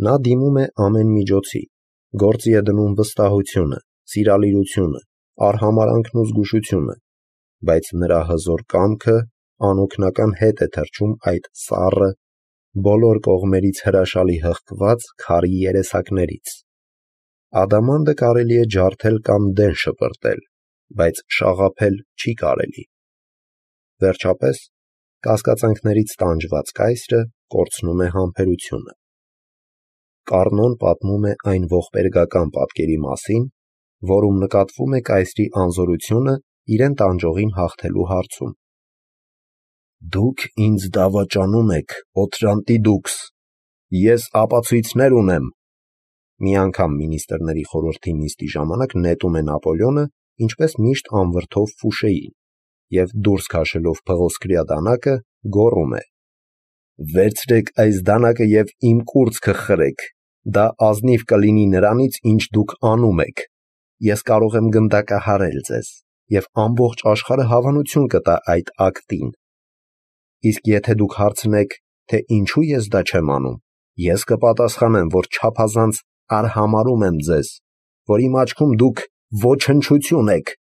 Նա դիմում է ամեն միջոցի, գործի է դնում վստահությունը, սիրալիրությունը, արհամարանքն ու զգուշությունը, բայց նրա հզոր կամքը անօգնական հետ է թռչում այդ սառը, բոլոր կողմերից հրաշալի հղկված քարի երեսակներից։ Ադամանդը կարելի է ջարդել կամ դեն շպրտել, բայց շաղափել չի կարելի։ Վերջապես, կասկածանքներից տանջված կայսրը կորցնում է համբերությունը։ Կառնոն պատմում է այն ողբերգական պատկերի մասին, որում նկատվում է կայսրի անզորությունը իրեն տանջողին հաղթելու հարցում։ Դուք ինձ դավաճանում եք, Օթրանտի դուքս, ես ապացույցներ ունեմ։ Մի անգամ մինիստրների խորհրդի նիստի ժամանակ նետում է Նապոլեոնը, ինչպես միշտ անվրդով Ֆուշեին, և դուրս քաշելով փղոսկրյա դանակը գոռում է. «Վերցրեք այս դանակը և իմ կուրծքը խրեք, դա ազնիվ կլինի նրանից, ինչ դուք անում եք։ Ես կարող եմ գնդակահարել ձեզ, և ամբողջ աշխարհը հավանություն կտա այդ ակտին։ Իսկ եթե դուք հարցնեք, թե ինչու ես դա չեմ անում, ես կպատասխանեմ, որ չափազանց արհամարհում եմ ձեզ, որ իմ աչքում դուք ոչնչություն եք»։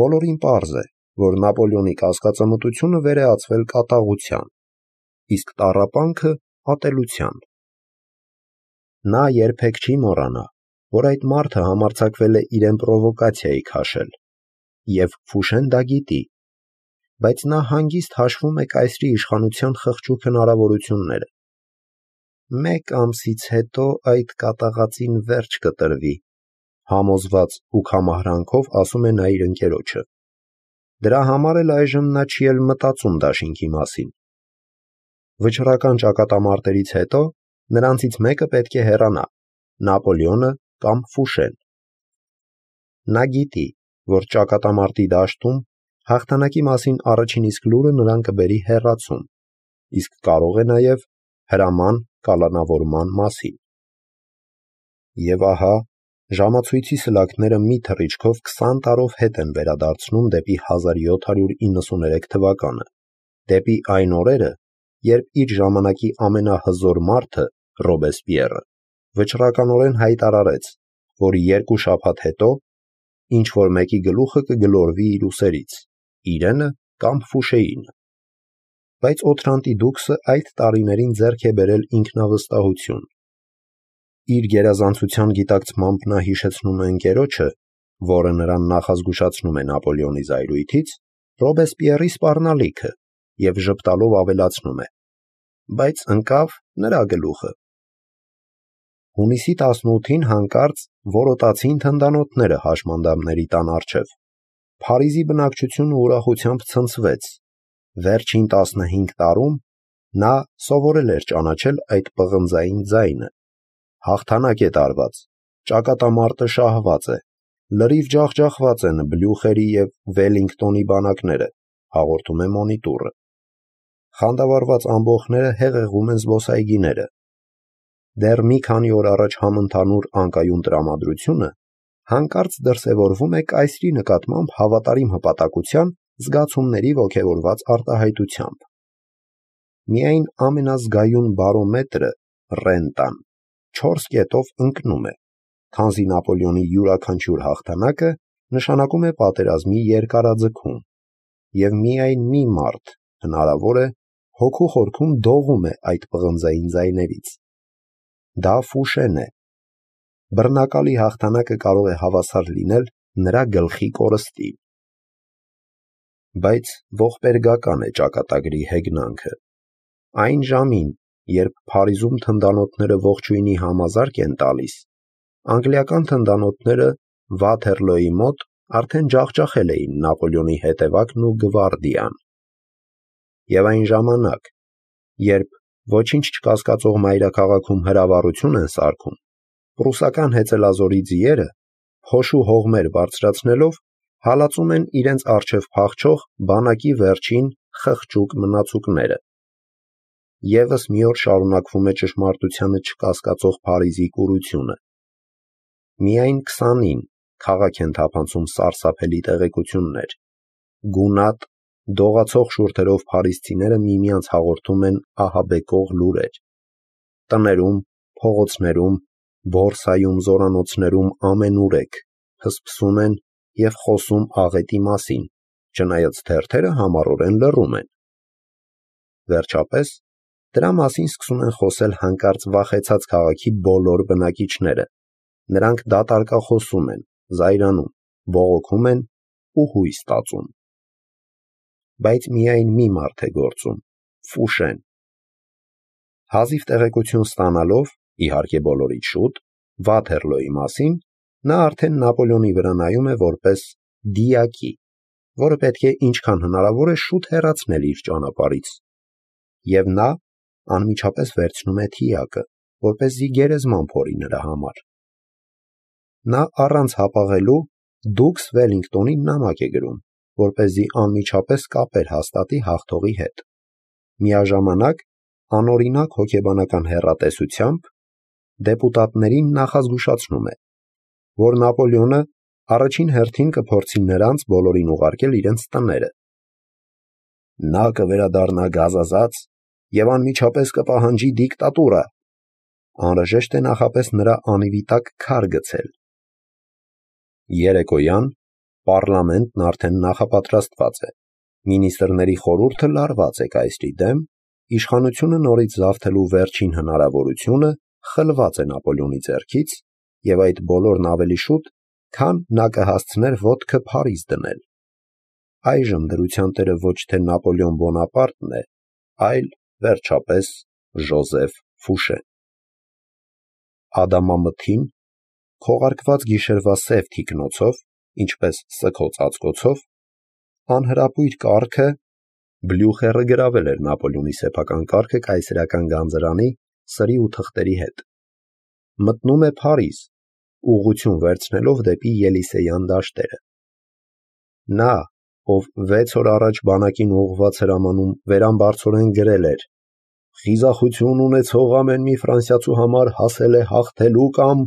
Բոլորին պարզ է, որ Նապոլեոնի կասկածամտությունը վերեածվել կատաղության, իսկ տառապանքը ատելության։ Նա երբեք չի մոռանա, որ այդ մարդը համարձակվել է իրեն պրովոկացիայի քաշել, և Ֆուշեն դա գիտի, բայց նա հանգիստ հաշվում է կայսրի իշխանության խղճուկ հնարավորությունները։ Մեկ ամսից հետո այդ կատաղածին վերջ կտրվի, համոզված ու կամահրանքով ասում է նա իր ընկերոջը։ Դրա համար էլ այժմ նա չի էլ մտածում դաշինքի մասին։ Վճռական ճակատամարտերից հետո նրանցից մեկը պետք է հեռանա, Նապոլեոնը կամ Ֆուշեն։ Նա գիտի, որ ճակատամարտի դաշտում հաղթանակի մասին առաջին իսկ լուրը նրան կբերի հեռացում, իսկ կարող է նաև հրաման կալանավորման մասին։ Եվ ահա, ժամացույցի սլաքները մի թռիչքով 20 տարով հետ են վերադարձնում դեպի 1793 թվականը, դեպի այն օրերը, երբ իր ժամանակի ամենահզոր մարդը՝ Ռոբեսպիերը, վճռականորեն հայտարարեց, որ 2 շաբաթ հետո ինչ-որ մեկի գլուխը կգլորվի իր ուսերից, իրենը կամ Ֆուշեինը։ Բայց Օթրանտի դուքսը այդ տարիներին ձեռք է բերել ինքնավստահություն։ Իր գերազանցության գիտակցմամբ նա հիշեցնում է ընկերոջը, որը նրան նախազգուշացնում է Նապոլեոնի զայրույթից, Ռոբեսպիերի սպառնալիքը և ժպտալով ավելացնում է. բայց ընկավ նրա գլուխը։ Հունիսի 18-ին հանկարծ որոտացին թնդանոթները հաշմանդամների տան առջև։ Փարիզի բնակչությունը ուրախությամբ ցնցվեց։ Վերջին 15 տարում նա սովորել էր ճանաչել այդ պղնձային ձայնը։ Հաղթանակ է տարված, ճակատամարտը շահված է, լրիվ ջախջախված են Բլյուխերի և Վելինգտոնի բանակները, հաղորդում է մոնիտորը։ Խանդավառված ամբոխները հեղեղում են զբոսայգիները։ Դեռ մի քանի օր առաջ համընդհանուր անկայուն տրամադրությունը հանկարծ դրսևորվում է կայսրի նկատմամբ հավատարիմ հպատակության զգացումների ոգևորված արտահայտությամբ։ Միայն ամենազգայուն բարոմետրը՝ ռենտան 4 կետով ընկնում է, քանզի Նապոլեոնի յուրաքանչյուր հաղթանակը նշանակում է պատերազմի երկարաձգում, և միայն մի մարդ, հնարավոր է, հոգու խորքում դողում է այդ պղնձային ձայներից։ Դա Ֆուշեն է։ Բռնակալի հաղթանակը կարող է հավասար լինել նրա գլխի կորստին։ Բայց ողբերգական է ճակատագրի հեգնանքը։ Այն ժամին, երբ Փարիզում թնդանոթները ողջույնի համազարկ են տալիս, անգլիական թնդանոթները Վաթերլոյի մոտ արդեն ջախջախել էին Նապոլեոնի հետևակն ու գվարդիան։ Եվ այն ժամանակ, երբ ոչինչ չկասկածող մայրաքաղաքում հրավառություն են սարքում, պրուսական հեծելազորի ձիերը, փոշու հողմեր բարձրացնելով, հալածում են իրենց առջև փախչող բանակի վերջին խղճուկ մնացուկները։ Եվս մի օր շարունակվում է ճշմարտությանը չկասկածող Փարիզի կուրությունը։ Միայն 20-ին քաղաք են թափանցում սարսափելի տեղեկություններ։ Գունատ, դողացող շուրթերով փարիզցիները միմյանց հաղորդում են ահաբեկող լուրեր։ տներում, փողոցներում, բորսայում, զորանոցներում ամենուրեք փսփսում են և խոսում աղետի մասին, չնայած թերթերը համառորեն լռում են։ Վերջապես, դրա մասին սկսում են խոսել հանկարծ վախեցած քաղաքի բոլոր բնակիչները։ Նրանք դատարկախոսում են, զայրանում, բողոքում են ու հույս ստացում։ Բայց միայն մի մարդ է գործում՝ Ֆուշեն։ Հազիվ տեղեկություն ստանալով, իհարկե բոլորից շուտ, Վաթերլոյի մասին, նա արդեն Նապոլեոնի վրա նայում է որպես դիակի, որը պետք է ինչքան հնարավոր է շուտ հեռացնել իր ճանապարհից։ Եվ նա անմիջապես վերցնում է թիակը, որպեսզի գերեզման փորի նրա համար։ Նա առանց հապաղելու Դուքս Վելլինգտոնին նամակ է գրում, որպեսզի անմիջապես կապեր հաստատի հաղթողի հետ։ Միաժամանակ անօրինակ հոգեբանական հեռատեսությամբ դեպուտատներին նախազգուշացնում է, որ Նապոլեոնը առաջին հերթին կփորձի նրանց բոլորին ուղարկել իրենց տները։ Նա կվերադառնա գազազած և անմիջապես կպահանջի դիկտատուրա։ Անհրաժեշտ է նախապես նրա անիվի տակ քար գցել։ Երեկոյան պառլամենտն արդեն նախապատրաստված է։ Մինիստրների խորհուրդը լարված է կայսրի դեմ, իշխանությունը նորից զավթելու վերջին հնարավորությունը խլված է Նապոլեոնի ձեռքից, և այդ բոլորն ավելի շուտ, քան նա կհասցներ ոտքը Փարիզ դնել։ Այժմ դրության տերը ոչ թե Նապոլեոն Բոնապարտն է, այլ, վերջապես, Ժոզեֆ Ֆուշեն։ Ադամամթին, քողարկված գիշերվա սև թիկնոցով, ինչպես սգո ծածկոցով, անհրապույր կառքը Բլյուխերը գրավել էր Նապոլեոնի սեփական կառքը կայսերական գանձրանի, սրի ու թղթերի հետ։ Մտնում է Փարիզ, ուղղություն վերցնելով դեպի Ելիսեյան դաշտերը։ Նա, ով 6 օր առաջ բանակին ուղղված հրամանում վերամբարձորեն գրել էր. «Խիզախություն ունեցող ամեն մի ֆրանսիացու համար հասել է հաղթելու կամ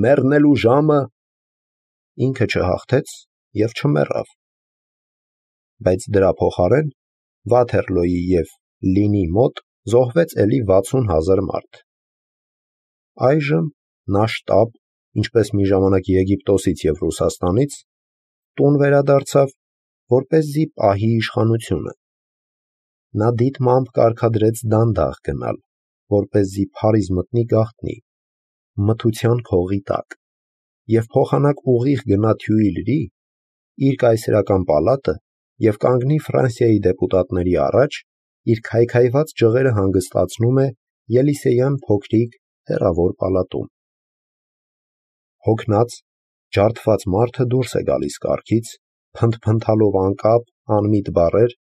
մեռնելու ժամը», ինքը չհաղթեց և չմեռավ։ Բայց դրա փոխարեն Վաթերլոյի և Լինի մոտ զոհվեց էլի 60,000 մարդ։ Այժմ նա շտապ, ինչպես մի ժամանակ Եգիպտոսից և Ռուսաստանից, տուն վերադարձավ, որպեսզի պահի իշխանությունը։ Նա դիտմամբ կարգադրեց դանդաղ գնալ, որպեսզի Փարիզ մտնի գաղտնի, մթության քողի տակ, և փոխանակ ուղիղ գնա Թյուիլրի, իր կայսերական պալատը և կանգնի Ֆրանսիայի դեպուտատների առաջ, իր քայքայված ջղերը հանգստացնում է Ելիսեյան փոքրիկ հեռավոր պալատում։ Հոգնած, ջարդված մարդը դուրս է գալիս կառքից, փնթփնթալով անկապ, անմիտ բառեր,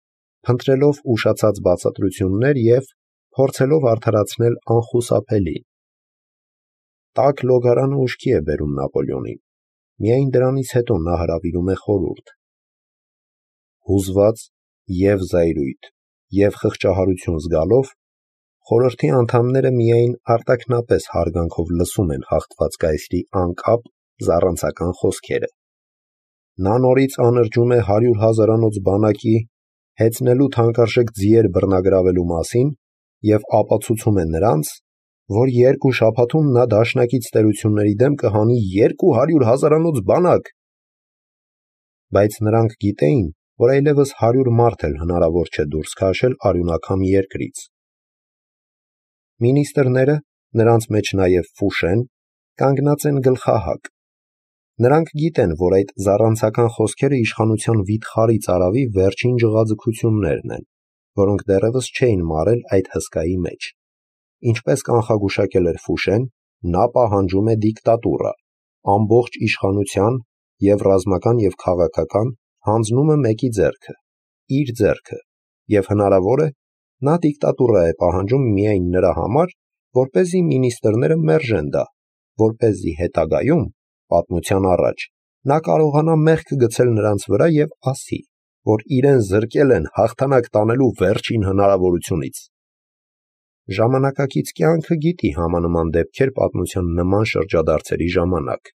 փնտրելով ուշացած բացատրություններ և փորձելով արդարացնել անխուսափելին։ Տաք լոգարանը ուշքի է բերում Նապոլեոնին, միայն դրանից հետո նա հրավիրում է խորհուրդ։ Հուզված և զայրույթ և խղճահարություն զգալով, խորհրդի անդամները միայն արտաքնապես հարգանքով լսում են հաղթված կայսրի անկապ, զառանցական խոսքերը։ Նա նորից անրջում է 100,000-անոց բանակի հեծնելու թանկարժեք ձիեր բռնագրավելու մասին և ապացուցում է նրանց, որ 2 շաբաթում նա դաշնակից տերությունների դեմ կհանի 200,000-անոց բանակ։ Բայց նրանք գիտեին, որ այլևս 100 մարդ էլ հնարավոր չէ դուրս քաշել արյունակամ երկրից։ Մինիստրները, նրանց մեջ նաև Ֆուշեն, կանգնած են գլխահակ։ Նրանք գիտեն, որ այդ զառանցական խոսքերը իշխանության վիթխարի ծարավի վերջին ջղաձգություններն են, որոնք դեռևս չէին մարել այդ հսկայի մեջ։ Ինչպես կանխագուշակել էր Ֆուշեն, նա պահանջում է դիկտատուրա, ամբողջ իշխանության և ռազմական և քաղաքական հանձնումը մեկի ձեռքը, իր ձեռքը, և հնարավոր է, նա դիկտատուրա է պահանջում միայն նրա համար, որպեսզի մինիստրները մերժեն դա, որպեսզի հետագայում, պատմության առաջ, նա կարողանա մեղք գցել նրանց վրա և ասի, որ իրեն զրկել են հաղթանակ տանելու վերջին հնարավորությունից։ Ժամանակակից կյանքը գիտի համանման դեպքեր պատմության նման շրջադարձերի ժամանակ։